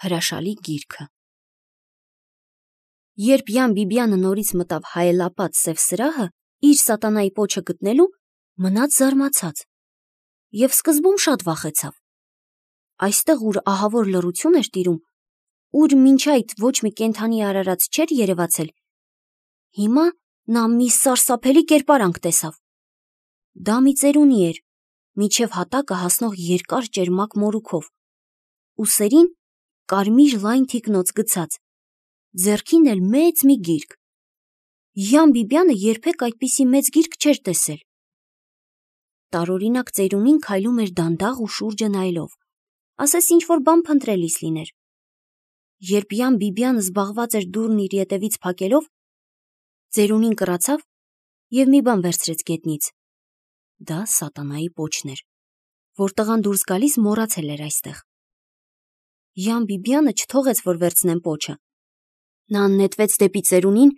Հրաշալի գիրքը։ Երբ Յան Բիբյանը նորից մտավ հայելապատ սև սրահը, իր սատանայի պոչը գտնելու, մնաց զարմացած և սկզբում շատ վախեցավ։ Այստեղ, ուր ահավոր լռություն էր տիրում, ուր մինչ այդ ոչ մի կենդանի արարած չէր երևացել, հիմա նա մի սարսափելի կերպարանք տեսավ։ Դա մի ծերունի էր, մինչև հատակը հասնող երկար ճերմակ մորուքով, ուսերին կարմիր լայն թիկնոց գցած, ձեռքին էլ մեծ մի գիրք։ Յան Բիբյանը երբեք այդպիսի մեծ գիրք չէր տեսել։ Տարօրինակ ծերունին քայլում էր դանդաղ ու շուրջը նայելով, ասես ինչ-որ բան փնտրելիս լիներ։ Երբ Յան Բիբյանը զբաղված էր դուռն իր ետևից փակելով, ծերունին կռացավ և մի բան վերցրեց գետնից։ Դա սատանայի պոչն էր, որ տղան դուրս գալիս մոռացել էր այստեղ։ Յան Բիբյանը չթողեց, որ վերցնեն պոչը։ Նա նետվեց դեպի ծերունին,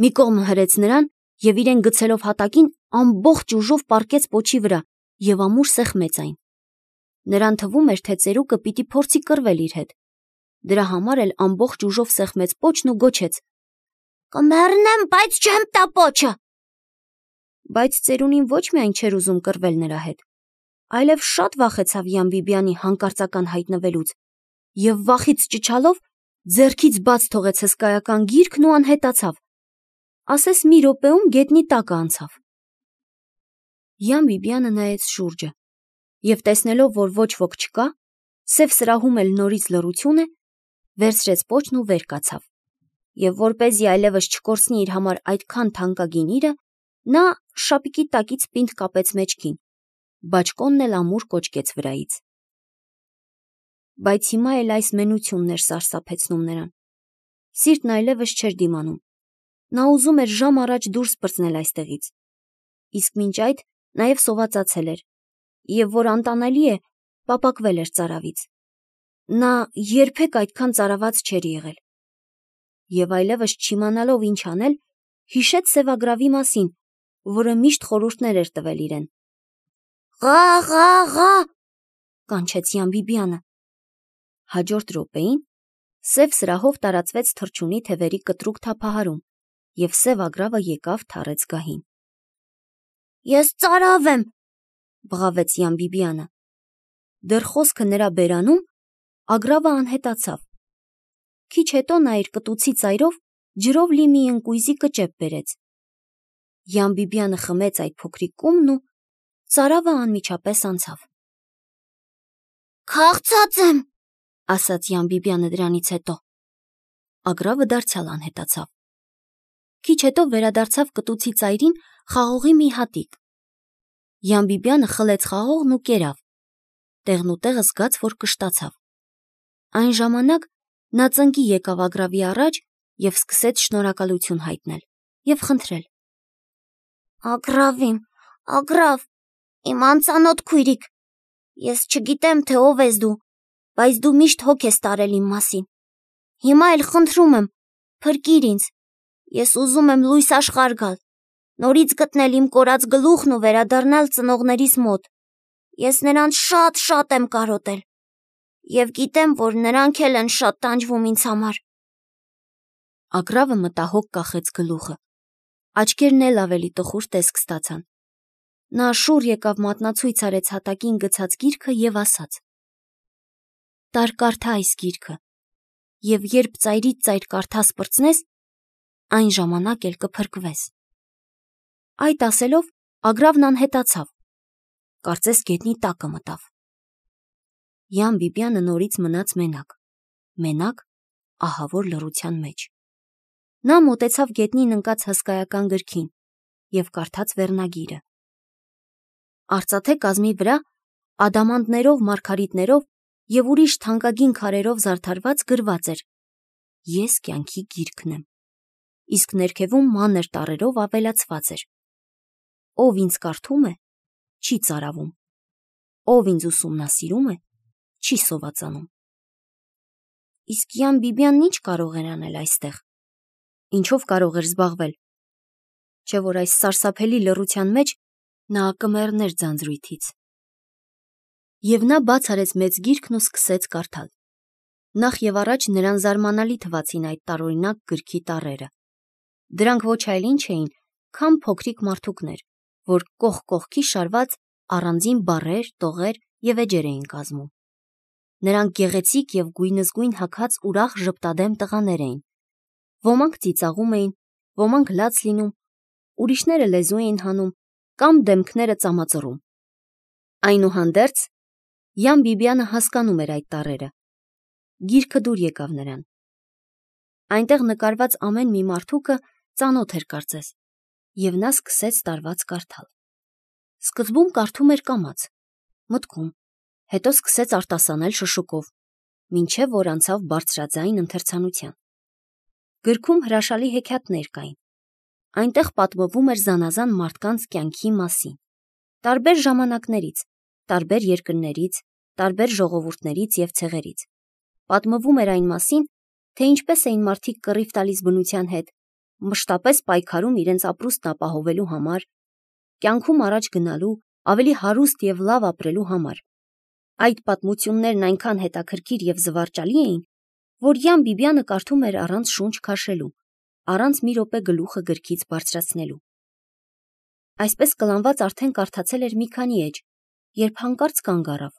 մի կողմ հրեց նրան և իրեն գցելով հատակին ամբողջ ուժով պառկեց պոչի վրա և ամուր սեղմեց այն։ Նրան թվում էր, թե ծերուկը պիտի փորձի կռվել իր հետ։ Դրա համար էլ ամբողջ ուժով սեղմեց պոչն ու գոչեց. «Կմեռնեմ, բայց չեմ տա պոչը»։ Բայց ծերունին ոչ միայն չէր ուզում կռվել նրա հետ, այլև շատ վախեցավ Յան Բիբյանի հանկարծական հայտնվելուց և վախից ճչալով ձեռքից բաց թողեց հսկայական գիրքն ու անհետացավ, ասես մի րոպեում գետնի տակը անցավ։ Յան Բիբյանը նայեց շուրջը և տեսնելով, որ ոչ ոք չկա, սև սրահում էլ նորից լռություն է, վերցրեց պոչն ու վեր կացավ, և որպեսզի այլևս չկորցնի իր համար այդքան թանկագին իրը, նա շապիկի տակից պինդ կապեց մեջքին, բաճկոնն էլ ամուր կոճկեց վրայից։ Բայց հիմա էլ այս մենությունն էր սարսափեցնում նրան։ Սիրտն այլևս չէր դիմանում։ Նա ուզում էր ժամ առաջ դուրս պրծնել այստեղից, իսկ մինչ այդ նաև սովածացել էր, և որ անտանելի է, պապակվել էր ծարավից։ Նա երբեք այդքան ծարաված չէր եղել։ Եվ այլևս չիմանալով ինչ անել, հիշեց սևագրավի մասին, որը միշտ խորհուրդներ էր տվել իրեն։ «Ղա, ղա, ղա», կանչեց Յան Բիբյանը։ Հաջորդ րոպեին սև սրահով տարածվեց թռչունի թևերի կտրուկ թափահարում, և սև ագրավը եկավ թառեց գահին։ «Ես ծարավ եմ», բղավեց Յան Բիբյանը։ Դեռ խոսքը նրա բերանում, ագրավը անհետացավ։ Քիչ հետո նա իր կտուցի ծայրով ջրով լի մի ընկույզի կճեպ բերեց։ Յան Բիբյանը խմեց այդ փոքրիկ կումն ու ծարավը անմիջապես անցավ։ «Քաղցած եմ», ասաց Յան Բիբյանը դրանից հետո։ Ագրավը դարձյալ անհետացավ։ Քիչ հետո վերադարձավ կտուցի ծայրին խաղողի մի հատիկ։ Յան Բիբյանը խլեց խաղողն ու կերավ, տեղնուտեղը զգաց, որ կշտացավ։ Այն ժամանակ նա ծնկի եկավ ագրավի առաջ և սկսեց շնորհակալություն հայտնել և խնդրել. «Ագրավ, իմ անծանոթ քույրիկ, ես չգիտեմ, թե ով ես դու, բայց դու միշտ հոգ ես տարել իմ մասին։ Հիմա էլ խնդրում եմ, փրկիր ինձ, ես ուզում եմ լույս աշխարհ գալ, նորից գտնել իմ կորած գլուխն ու վերադառնալ ծնողներիս մոտ։ Ես նրանց շատ եմ կարոտել և գիտեմ, որ նրանք էլ են շատ տանջվում ինձ համար»։ Ագրավը մտահոգ կախեց գլուխը, աչքերն էլ ավելի տխուր տեսք ստացան։ Նա շուռ եկավ մատնացույց արեց հատակին գցած գիրքը և ասաց. «Տար կարդա այս գիրքը, և երբ ծայրից ծայր կարդաս պրծնես, այն ժամանակ էլ կփրկվես»։ Այդ ասելով ագրավն անհետացավ, կարծես գետնի տակը մտավ։ Յան Բիբյանը նորից մնաց մենակ, ահավոր լռության մեջ։ Նա մոտեցավ գետնին ընկած հսկայական գրքին և կարդաց վերնագիրը։ Արծաթե կազմի վրա ադամանդներով, մարգարիտներով և ուրիշ թանկագին քարերով զարդարված գրված էր. «Ես կյանքի գիրքն եմ», իսկ ներքևում մանր տառերով ավելացված էր. «Ով ինձ կարդում է, չի ծարավում, ով ինձ ուսումնասիրում է, չի սովածանում»։ Իսկ Յան Բիբյանն ինչ կարող էր անել այստեղ։ Ինչով կարող էր զբաղվել, չէ՞ որ այս սարսափելի լռության մեջ նա կմեռներ ձանձրույթից։ Եվ նա բաց արեց մեծ գիրքն ու սկսեց կարդալ։ Նախ եւ առաջ նրան զարմանալի թվացին այդ տարօրինակ գրքի տառերը։ Դրանք ոչ այլ ինչ էին, քան փոքրիկ մարդուկներ, որ կողք կողքի շարված առանձին բառեր, տողեր եւ էջեր էին կազմում։ Նրանք գեղեցիկ եւ գույնզգույն հագած ուրախ ժպտադեմ տղաներ էին։ Ոմանք ծիծաղում էին, ոմանք լաց լինում, ուրիշները լեզու էին հանում կամ դեմքները ծամածռում։ Այնուհանդերձ Յան Բիբյանը հասկանում էր այդ տառերը։ Գիրքը դուր եկավ նրան։ Այնտեղ նկարված ամեն մի մարդուկը ծանոթ էր կարծես, եւ նա սկսեց տարված կարդալ։ Սկզբում կարդում էր կամաց, մտքում, հետո սկսեց արտասանել շշուկով, մինչև որ անցավ բարձրաձայն ընթերցանության։ Գրքում հրաշալի հեքիաթներ կային։ Այնտեղ պատմվում էր զանազան մարդկանց կյանքի մասին, տարբեր ժամանակներից, տարբեր երկրներից, տարբեր ժողովուրդներից եւ ցեղերից։ Պատմվում էր այն մասին, թե ինչպես էին մարդիկ կռիվ տալիս բնության հետ, մշտապես պայքարում իրենց ապրուստն ապահովելու համար, կյանքում առաջ գնալու, ավելի հարուստ եւ լավ ապրելու համար։ Այդ պատմություններն այնքան հետաքրքիր եւ զվարճալի էին, որ Յան Բիբյանը կարդում էր առանց շունչ քաշելու, առանց մի րոպե գլուխը գրքից բարձրացնելու։ Այսպես կլանված արդեն կարդացել էր մի քանի էջ, երբ հանկարծ կանգ առավ։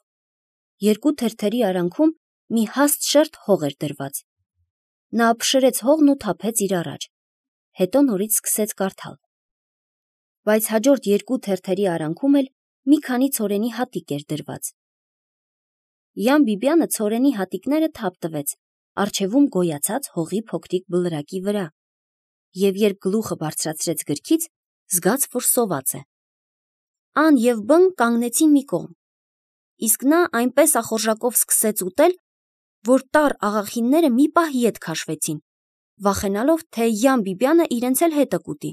Երկու թերթերի արանքում մի հաստ շերտ հող էր դրված։ Նա ապշրեց հողն ու թափեց իր առաջ, հետո նորից սկսեց կարդալ։ Բայց հաջորդ երկու թերթերի արանքում էլ մի քանի ցորենի հատիկ էր դրված։ Յան Բիբյանը ցորենի հատիկները թափ տվեց առջևում գոյացած հողի փոքրիկ բլրակի վրա, եւ երբ գլուխը բարձրացրեց գրքից, զգաց, որ սոված է։ Ան եւ Բ-ն կանգնեցին մի կողմ, իսկ նա այնպես ախորժակով սկսեց ուտել, որ տառ աղախինները մի պահ ետ քաշվեցին, վախենալով, թե Յան Բիբյանը իրենց էլ հետը կուտի։